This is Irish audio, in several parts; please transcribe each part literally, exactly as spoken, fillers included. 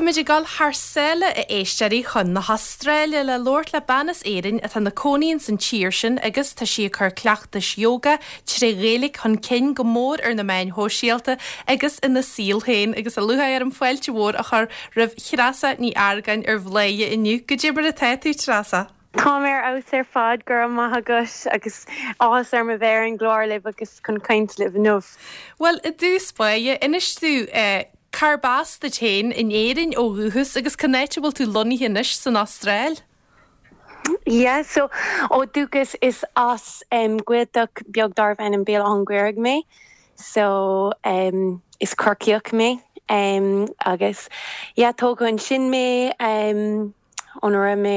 Táimid ag dul thar sáile, a éisteoirí, chun na hAstráile le labhairt le bean as Éirinn atá ina cónaí san tír sin agus tá sí ag cur cleachtais yoga trí Ghaeilge chun cinn go mór ar na meáin shóisialta agus ina saol féin agus tá lúcháir orm fáilte mhór a chur roimh Threasa Ní Argáin ar Bhladhaire inniu. Goidé mar atá tú, Treasa. Tá mé ar fheabhas ar fad, go raibh maith agat, agus áthas orm a bheith ar an gclár libh agus chun caint libh inniu. Well, i dtús báire, inis dúinn eh, cárb as duit féin in Éirinn ó dhúchas agus cá háit a bhfuil tú lonnaithe anois san Astráil? Yeah, so ó dúchas is as um, Gaeltacht beag darbh ainm Béal Átha an Ghaorthaidh mé. So um, is Corcaíoch mé um, agus yeah, tógadh ansin mé um, óna raibh mé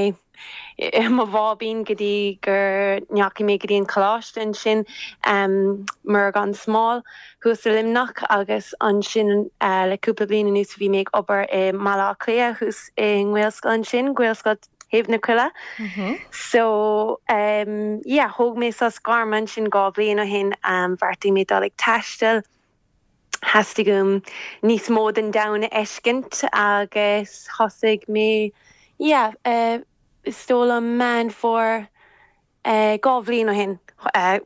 i mo bháibín go dtí gur ndeachaigh mé go dtí an coláiste ansin um, Mhuire gan Smál thuas i Luimneach agus ansin uh, le cúpla bliain anuas bhí mé ag obair i mBaile Átha Cliath thuas i nGaelscoil ansin, Gaelscoil Thaobh na Coille. Mm -hmm. So um, yeah, thóg mé sos gairme ansin dhá bhliain ó shin um, bheartaigh mé dul ag taisteal. Theastaigh uaim níos mó den domhan a fheiscint agus thosaigh mé yeah, uh, is dóigh liom Meán Fómhair uh, dhá bhliain ó shin uh,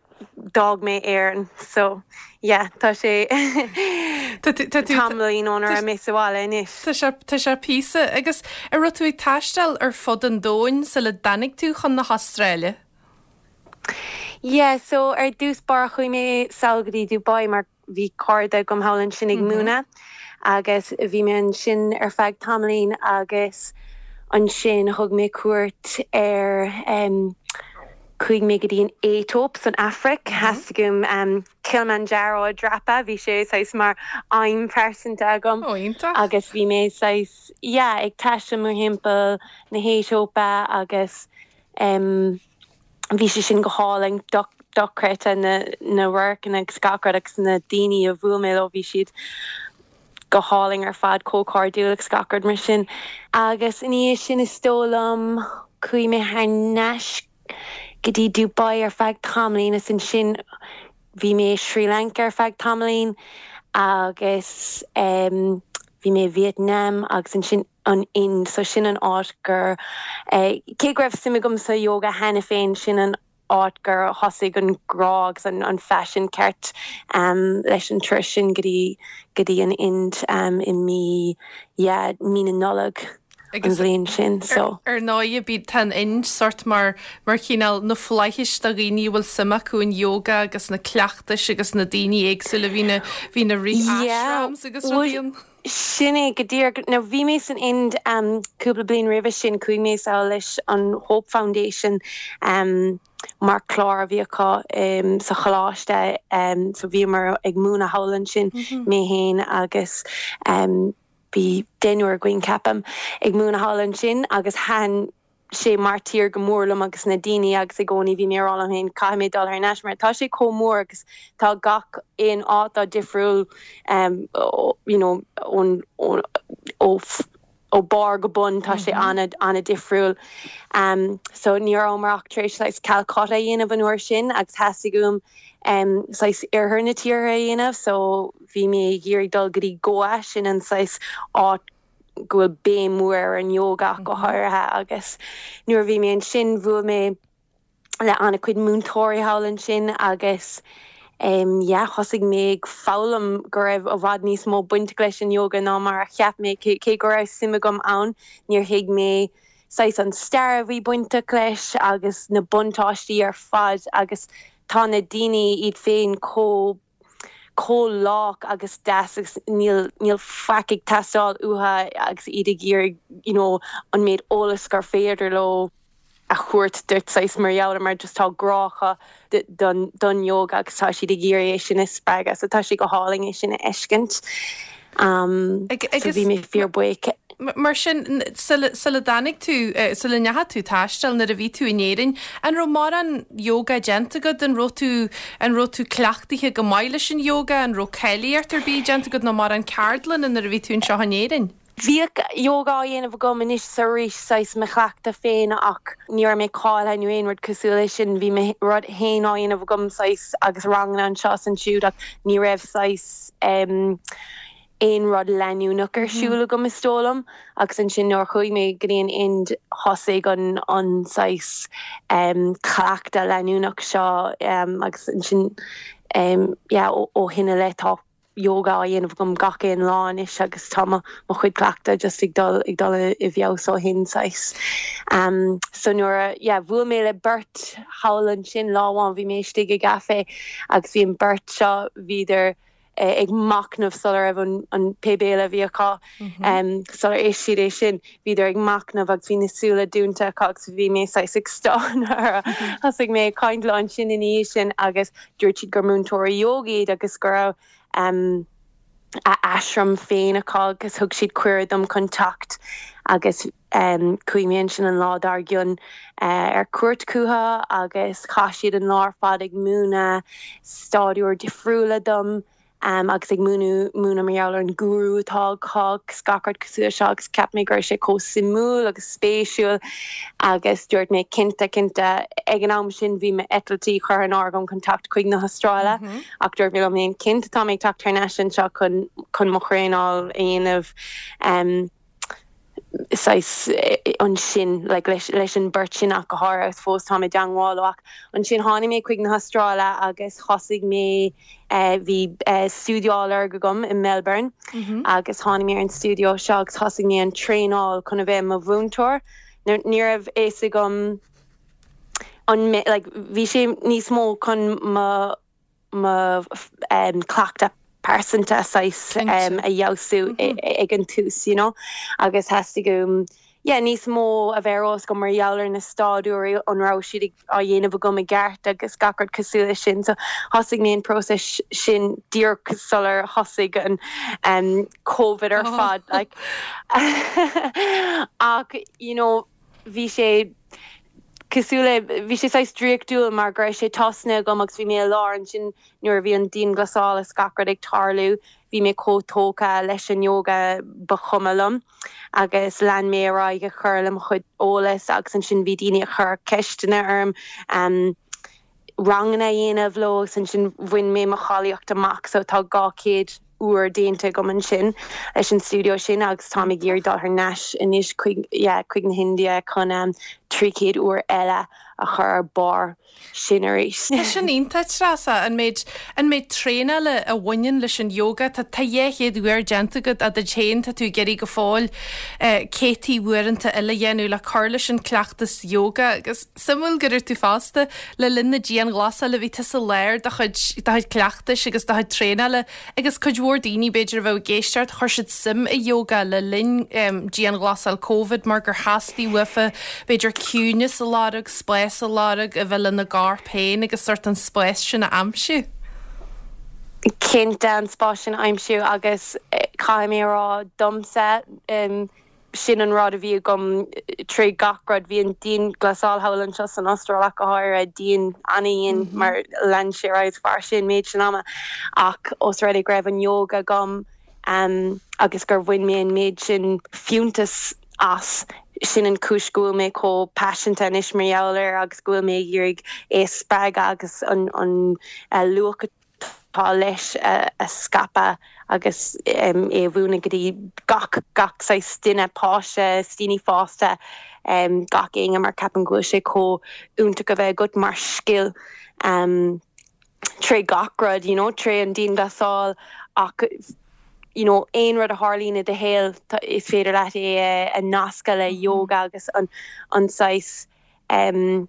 d'fhág mé Éirinn so yeah, tá sé tamaillín ónar mé sa bhaile anois. Tá sé píosa agus an raibh tú ag taisteal ar fud an domhain sula dtáinig tú chun na hAstráile? Yeah, so ar dtús báire chuaigh mé sall go dtí Dubai mar bhí cairde agam thall ansin ag mm -hmm. múineadh agus bhí mé ansin ar feadh tamaillín agus ansin thug mé cuairt ar um, chuaigh mé go dtí an Aetóip san Afraic mm -hmm. Theastaigh uaim um, Kilimanjaro a dhreapadh, bhí sé saghas mar aidhm phearsanta agam oh, agus bhí mé saghas yeah, ag taisteal mórthimpeall na hAetóipe agus um, bhí sé sin go hálainn dochreidte na na radharcanna agus gach rud agus na daoine a bhuail mé leo bhí siad go hálainn ar fad chomh cairdiúil agus gach rud mar sin. Agus ina dhiaidh sin is dóigh liom chuaigh mé thar n-ais go dtí Dubai ar feadh tamaillín is ansin bhí mé Sri Lanka ar feadh tamaillín agus um, bhí mé Vietnam agus ansin an Ind so sin an áit gur eh, cé go raibh suim agam sa yoga cheana féin sin an áit gur thosaigh an grá agus an, an faisean ceart um, leis an turas sin go dtí go dtí an Ind um, i mí yeah, mí na Nollag an bhliain sin so. Ar ndóigh bí tá an Ind sort mar mar chineál na flaithis do dhaoine bhfuil suim acu in yoga agus na cleachtais agus na daoine éagsúla bhí na bhí na rí ashrams agus rudaí. Sin é go díreach nó bhí mé san Ind um, cúpla bliain roimhe sin chuaigh mé sall leis an Hope Foundation um, mar chlár a bhí acu um, sa choláiste um, so bhí mar ag múineadh thall ansin mm -hmm. mé féin agus um, bhí deichniúr againn ceapaim ag múineadh thall ansin agus thaitin sé mar tír go mór liom agus na daoine agus i gcónaí bhí mé ag rá liom féin caithfidh mé dul thar n-ais mar tá sé chomh mór agus tá gach aon áit difriúil um, you know, ón ó ó barr go bun tá sé mm -hmm. an- an-difriúil. Um, so ní raibh ach tar éis like, Calcutta a dhéanamh an uair sin agus theastaigh uaim um, saghas oirthear na tíre a dhéanamh, so bhí mé ag iarraidh dul go dtí Goa sin an saghas áit go bhfuil béim mór ar an yoga go mhm. háirithe agus nuair bhí mé ansin bhuail mé le an-chuid múinteoirí thall ansin agus um, yeah, thosaigh mé ag foghlaim go raibh i bhfad níos mó baint leis an yoga ná mar a cheap mé cé go raibh suim agam ann níor thuig mé saghas an stair a bhí bainteach leis agus na buntáistí ar fad agus tá na daoine iad féin chomh chomh lách agus deas agus níl níl faic ag teastáil uathu agus iad ag iarraidh you know, an méid eolas gur féidir leo a thabhairt duit saghas mar gheall mar just tá grá acu don don yoga agus tá siad ag iarraidh é sin a spreagadh, so tá sé go hálainn é sin a fheiscint. Um, so bhí mé fíorbhuíoch. Mar sin sula dtáinig tú sula ndeachaigh tú taisteal nuair a bhí tú in Éirinn, an raibh mórán yoga déanta agat an raibh tú an raibh tú cleachtaithe go maith leis an yoga an raibh cáilíocht ar bith déanta agat nó mórán ceardlanna nuair a bhí tú anseo in Éirinn? Bhíodh yoga á dhéanamh agam anois is arís saghas mo chleachtadh féin ach ní raibh mé cáilithe nó aon rud cosúil leis sin bhí mé rud féin á dhéanamh agam saghas agus ranganna anseo ansiúd ach ní raibh saghas um, aon rud leanúnach ar siúl agam is dóigh liom agus ansin nuair chuaigh mé go dtí an Ind thosaigh an an saghas um, cleachtadh leanúnach seo um, agus ansin um, yeah, ó, ó shin i leith tá yoga á dhéanamh agam gach aon lá anois agus tá mo chuid cleachtadh just ag dul ag dul i bhfeabhas ó shin saghas. Um, so nuair a yeah, bhuail mé le beirt thall ansin lá amháin bhí mé istigh i gcaife agus bhí an beirt seo bhíodar eh, ag machnamh sular raibh an, an pé béile a bhí acu mm -hmm. um, sular ith siad é sin bhíodar ag machnamh agus bhí na súile dúnta agus bhí mé saghas ag stánadh thosaigh mé caint leo ansin ina dhiaidh sin agus dúirt siad gur múinteoirí yoga iad agus go raibh um, a ashram féin acu agus thug siad cuireadh dom chun teacht agus um, chuaigh mé ansin an lá dár gcionn uh, ar cuairt chucu agus chaith siad an lá ar fad ag múineadh staidiúir difriúla dom. Um, agus ag múineadh múineadh mar gheall ar an guru atá acu gach rud cosúil seo agus ceap mé go raibh sé chomh suimiúil agus spéisiúil agus dúirt mé cinnte cinnte ag an am sin bhí m'eitiltí curtha in airde agam chun teacht chuig na hAstráile mm -hmm. ach dúirt mé liom féin cinnte tá mé ag teacht thar n-ais anseo chun chun mo thraenáil a dhéanamh um, saghas ansin like, leis, leis an beirt sin ach go háirithe fós tá mé i dteagmháil ach ansin tháinig mé chuig na hAstráile agus thosaigh mé uh, bhí uh, stiúideo á lorg agam i Melbourne mm -hmm. agus tháinig mé ar an stiúideo seo agus thosaigh mé an traenáil chun a bheith mo mhúinteoir. Ní raibh fhios agam an like, bhí sé níos mó chun mo mo um, cleachtadh pearsanta saghas um, a fheabhsú mm -hmm. ag an tús you know agus theastaigh uaim yeah, níos mó a bheith go mar gheall ar na staidiúirí an raibh siad á dhéanamh agam i gceart agus gach rud cosúil leis sin so thosaigh mé an próiseas sin díreach sular thosaigh an um, COVID ar oh. fad like ach you know bhí sé cosúil le bhí sé saghas draíochtúil mar go raibh sé tosnaithe agam agus bhí mé i lár ansin nuair a bhí an dianghlasáil is gach rud ag tarlú bhí mé chomh tógtha leis an yoga ba chuma liom agus lean mé ar aghaidh ag cur le mo chuid eolas agus ansin bhí daoine ag cur ceisteanna orm um, ranganna a dhéanamh leo agus ansin bhain mé mo cháilíocht amach so tá dhá chéad uair déanta agam ansin leis an stiúideo sin agus tá ag iarraidh dul thar n-ais anois chuig chuig na hIndia chun um, trí chéad uair eile a chur ar barr sin arís. Tá sin iontach Treasa an méid an méid traenála a bhaineann leis an yoga Tá tá dhá chéad uair déanta agat a chéan tá tú ag iarraidh go fóill eh, céadta uaireanta eile a dhéanamh le cur leis an cleachtas yoga agus suimiúil go raibh tú fosta le linn na dianghlasála bhí tú sa lár do chuid do chuid cleachtais agus do chuid traenála agus cuid mhór daoine b'fhéidir a bheith ag éisteacht chuir siad suim i yoga le linn um, dianghlasáil COVID mar gur theastaigh uafa b'fhéidir ciúnas a lorg spás a lorg a bheith lena gcorp féin agus sort an spás sin a aimsiú. Cinnte an spás sin aimsiú agus eh, caithfidh mé rá domsa um, sin an rud a bhí agam trí gach rud bhí an dianghlasáil thall anseo san Astráil go háirithe dian an-dian mm -hmm. mar lean sé ar sin méid sin ama ach os rud é go raibh an yoga agam um, agus gur bhain mé an méid sin fiúntas as sin an chúis go bhfuil mé chomh paiseanta anois mar gheall air agus go bhfuil mé ag iarraidh é spreagadh agus an an uh, luach atá leis uh, a scaipeadh agus um, é mhúineadh go dtí gach gach saghas duine páiste daoine fásta um, gach éinne mar ceapaim go bhfuil sé chomh iontach a bheith agat mar scil um, tré gach rud you know, tré an dianghlasáil ach you know, aon rud a tharlaíonn i do shaol is féidir leat é a nascadh le yoga agus an an saghas um,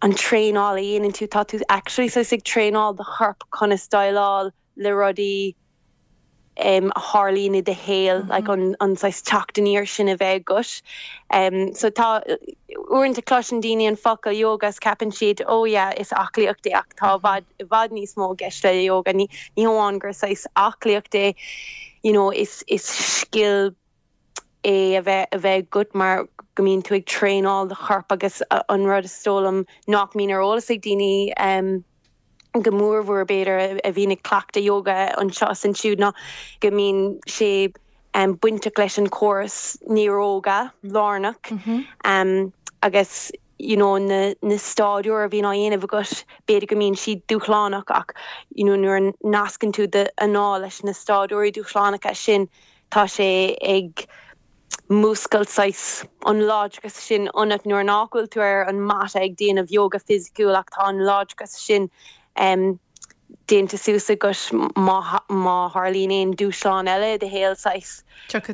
an traenáil a dhéanann tú tá tú actually saghas ag traenáil do chorp conas déileáil le rudaí um, a tharlaíonn i do shaol mm -hmm. like an an saghas teacht aniar sin a bheith agat. Um, so tá uaireanta cloiseann daoine an focal yoga is ceapann siad ó oh yeah, is aclaíocht é ach tá i bhfad i bhfad níos mó i gceist le yoga ní ní hamháin gur saghas aclaíocht é you know, is is scil é a bheith a bheith agat mar go mbíonn tú ag traenáil do chorp agus an rud is dóigh liom nach mbíonn ar eolas ag daoine um, go mórmhór b'fhéidir a bhíonn ag cleachtadh yoga anseo is ansiúd ná go mbíonn sé um, bainteach leis an córas néaróga lárnach mm -hmm. um, agus you know na na stáisiúir a bhíonn á dhéanamh agat b'fhéidir go mbíonn siad dúshlánach ach you know nuair a nascann tú d'anáil leis na stáisiúirí dúshlánacha sin tá sé ag múscailt saghas an láidreachas sin ionat nuair nach bhfuil tú ar an mata ag déanamh yoga fisiciúil ach tá an láidreachas sin um, déanta suas agat má má tharlaíonn aon dúshlán eile i do shaol saghas.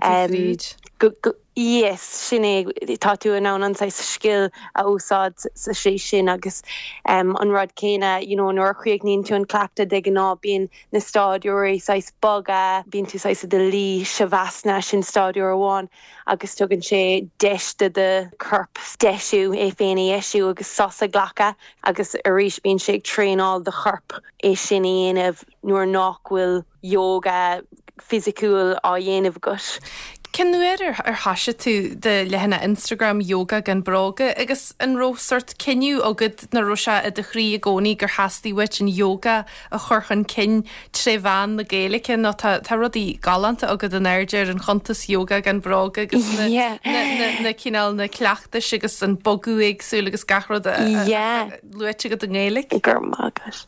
Um, Yes, sin é tá tú in ann an saghas scil a úsáid sa sé sin agus um, an rud céanna you know, nuair a chríochnaíonn tú an cleachtadh de ghnáth bíonn na stáisiúirí saghas boga, bíonn tú saghas i do luí shavasana sin stáisiúr amháin agus tugann sé deis do do chorp deisiú é féin a dheisiú agus sos a ghlacadh agus arís bíonn sé ag traenáil do chorp é sin a dhéanamh nuair nach bhfuil yoga fisiciúil á dhéanamh agat. Cén uair ar ar thosaigh tú do leathanach Instagram yoga gan bróga agus an raibh sórt cinneadh agat nó raibh sé i do chroí i gcónaí gur theastaigh uait an yoga a chur chun cinn tré mheán na Gaeilge nó tá tá rudaí galánta agat in airde ar an chuntas yoga gan bróga agus na, Yeah. na, na, na cineál na cleachtais agus an bogadh éagsúil agus gach rud a- a- Yeah. luaite agat i nGaeilge. Gur mágus.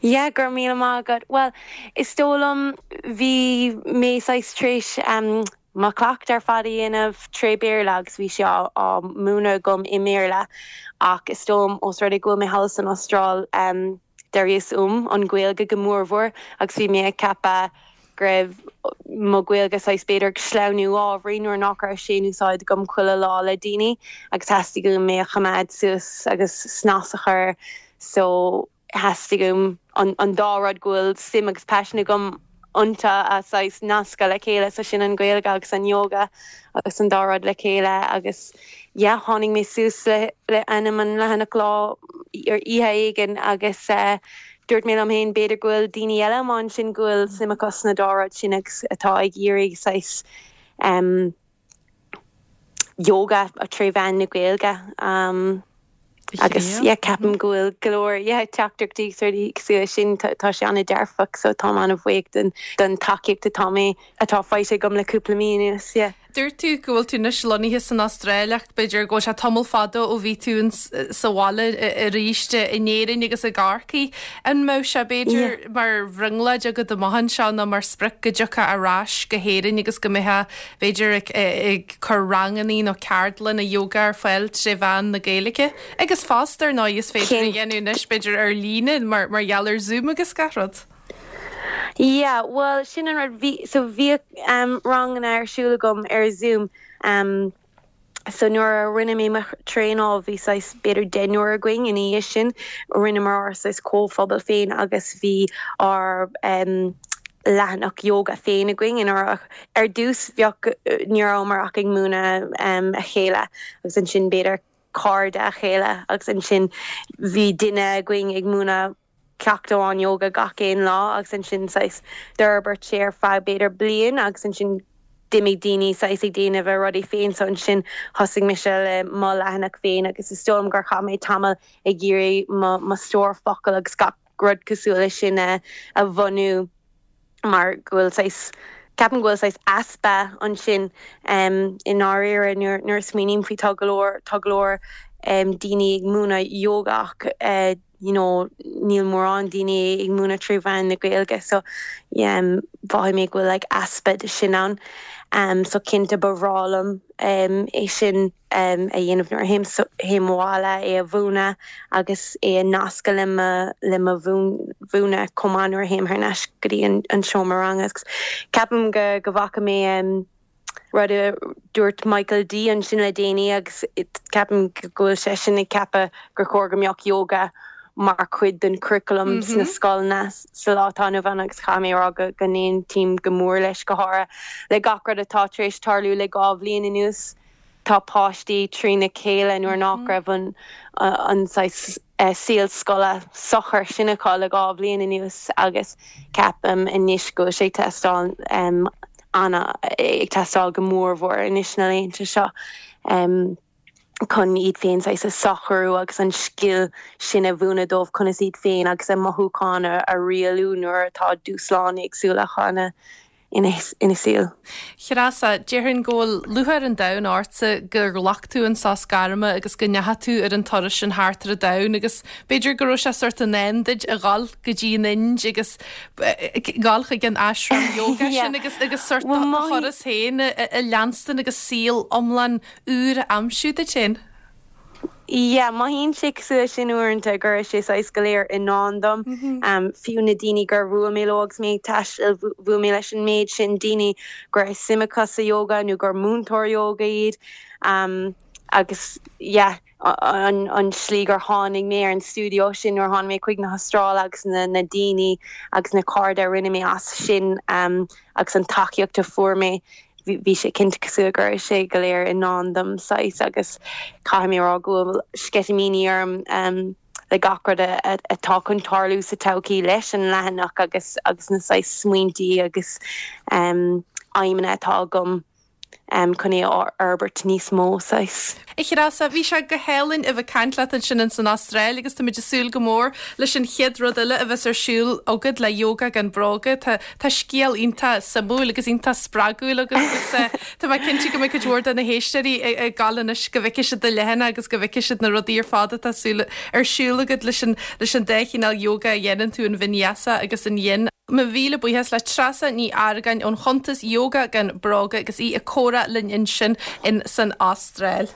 Yeah, gur mí mágad. Well, is dóigh liom bhí mé saghas tar éis um, mo chleachtadh ar fad a dhéanamh tré Béarla agus bhí sé á, á múineadh agam i mBéarla ach is dóigh liom ós rud é go bhfuil mé thall san Astráil um, d'éirigh uaim an Ghaeilge go mórmhór agus bhí mé ag ceapadh go raibh mo Ghaeilge saghas b'fhéidir sleamhnú ábhairín nuair nach raibh sé in úsáid agam chuile lá le daoine agus theastaigh uaim é a choimeád suas agus snas a chur so theastaigh uaim an, an dá rud go bhfuil suim agus paisean agam iontu a saghas nascadh le chéile so sin an Ghaeilge agus an yoga agus an dá rud le chéile agus yeah, tháinig mé suas le, le ainm an leathanach lá ar oíche éigin agus uh, dúirt mé liom féin b'fhéidir go bhfuil daoine eile mar sin go bhfuil suim acu sna dá rud sin agus atá ag iarraidh saghas um, yoga a tré mheán na Gaeilge. Um, agus yeah, ceapaim go bhfuil go leor yeah, teachtaireachtaí cosúil sin tá sé an-dearfach so tá an-bhuíoch den den tacaíocht atá mé atá faighte agam le cúpla mí anuas yeah. Dúirt tú go bhfuil tú anois lonnaithe san Astráil ach b'fhéidir go sé tamall fada ó bhí tú sa bhaile arís in Éirinn agus i gCorcaigh. An mbeadh sé b'fhéidir mar bhrionglóid agat amach anseo nó mar sprioc go dtiocfá ar ais go hÉirinn agus go mbeifeá b'fhéidir ag, ag cur ranganna nó ceardlanna yoga ar fáil tré mheán na Gaeilge. Agus fosta nó is féidir a dhéanamh anois b'fhéidir ar líne mar mar gheall ar Zoom agus gach rud. Yeah, well sin an rud bhí so bhí um, ranganna ar siúl agam ar Zoom um, so nuair a rinne mé mo traenáil bhí saghas b'fhéidir deichniúr againn ina dhiaidh sin rinneamar ár saghas comhphobal féin agus bhí ár um, leathanach yoga féin againn in ar ar dtús bheadh ní rabhamar ach ag múineadh um, a chéile agus ansin b'fhéidir cairde a chéile agus ansin bhí duine againn ag múineadh ceacht amháin yoga gach aon lá agus ansin saghas d'fhorbair sé ar feadh b'fhéidir bliain agus ansin d'imigh daoine saghas ag déanamh a rudaí féin so ansin thosaigh mise le mo leathanach féin agus is dóigh liom gur chaith mé tamall ag iarraidh mo stór focal agus gach rud cosúil leis sin a, a bhunú mar go bhfuil saghas ceapaim go bhfuil saghas easpa ansin um, i ndáiríre nuair nuair smaoiním faoi tá go leor tá go leor um, daoine ag múineadh yoga ach uh, you know, níl mórán daoine ag múineadh trí mheán na Gaeilge so um, mhothaigh mé go bhfuil like, easpa de sin ann. Um, so cinnte ba bhreá liom um, é sin um, a dhéanamh nuair théim so, théim abhaile é a mhúineadh agus é a nascadh le mo le mo mhúineadh chomh maith nuair a théim thar n-ais go dtí an, an seomra ranga. Ceapaim go go bhfaca mé um, rud a dúirt Michael D ansin le déanaí agus ceapaim go bhfuil sé sin ag ceapadh gur chóir go mbeadh yoga mar chuid den curriculum mm -hmm. sna scoileanna sa lá atá inniu ann agus caithfidh mé rá go go n-aontaím go mór leis go háirithe le gach rud atá tar éis tarlú le dhá bhliain anuas tá páistí trína chéile nuair nach raibh an an uh, saol scoile socair sin acu le dhá bhliain anuas agus ceapaim anois go sé teastáil um, anna ag teastáil go mórmhór anois na laethanta seo. Um, chun iad féin saghas a shocrú agus an scil sin a mhúineadh dóibh conas iad féin agus a mothúcháin a, a rialú nuair atá dúshláin éagsúla chuna ina ina saol. Treasa, déarfainn go bhfuil lúcháir an domhain ortsa gur ghlac tú an sos gairme agus go ndeachaigh tú ar an turas sin thart ar an domhan agus b'fhéidir go raibh sé sórt i ndán duit a dhul go dtí an Ind agus dhul chuig an ashram yoga sin agus agus sórt turas féin a leanstan agus saol iomlán úr a aimsiú duit féin. Yeah, mothaíonn sé cosúil sin uaireanta go raibh sé saghas go léir i ndán dom mm -hmm. um, fiú na daoine gur bhuail mé leo agus mé ag taisteal bhuail mé leis an méid sin daoine go raibh suim acu sa yoga nó gur múinteoir yoga iad um, agus yeah, an, an slí gur tháinig mé ar an studio sin nuair tháinig mé chuig na hAstráile agus na, na daoine agus na cairde a rinne mé as sin um, agus an tacaíocht a fuair mé bhí sé cinnte cosúil go raibh sé go léir i ndán dom saghas agus caithfidh mé rá go bhfuil sceitimíní orm um, le gach rud atá chun tarlú sa todhchaí leis an leathanach agus agus na saghas smaointí agus um, aidhmeanna atá agam um, chun é a fhorbairt níos mó saghas. A Threasa bhí sé go hálainn a bheith ag caint leat ansin san Astráil agus tá ag súil go mór leis an chéad rud eile a bheas ar siúl agat le yoga gan bróga Tá Tá scéal iontach suimiúil agus iontach spreagúil agus eh, Tá mé cinnte go mbeidh cuid mhór de na héisteoirí ag gabháil anois go bhfeicfidh siad do leathanach agus go bhfeicfidh siad na rudaí ar fad atá ar siúl agat leis an leis an dá chineál yoga a dhéanann tú an vinyasa agus an yin. Mo mhíle buíochas le Treasa Ní Argáin ón chuntas yoga gan bróga agus í ag comhrá linn ansin in san Astráil.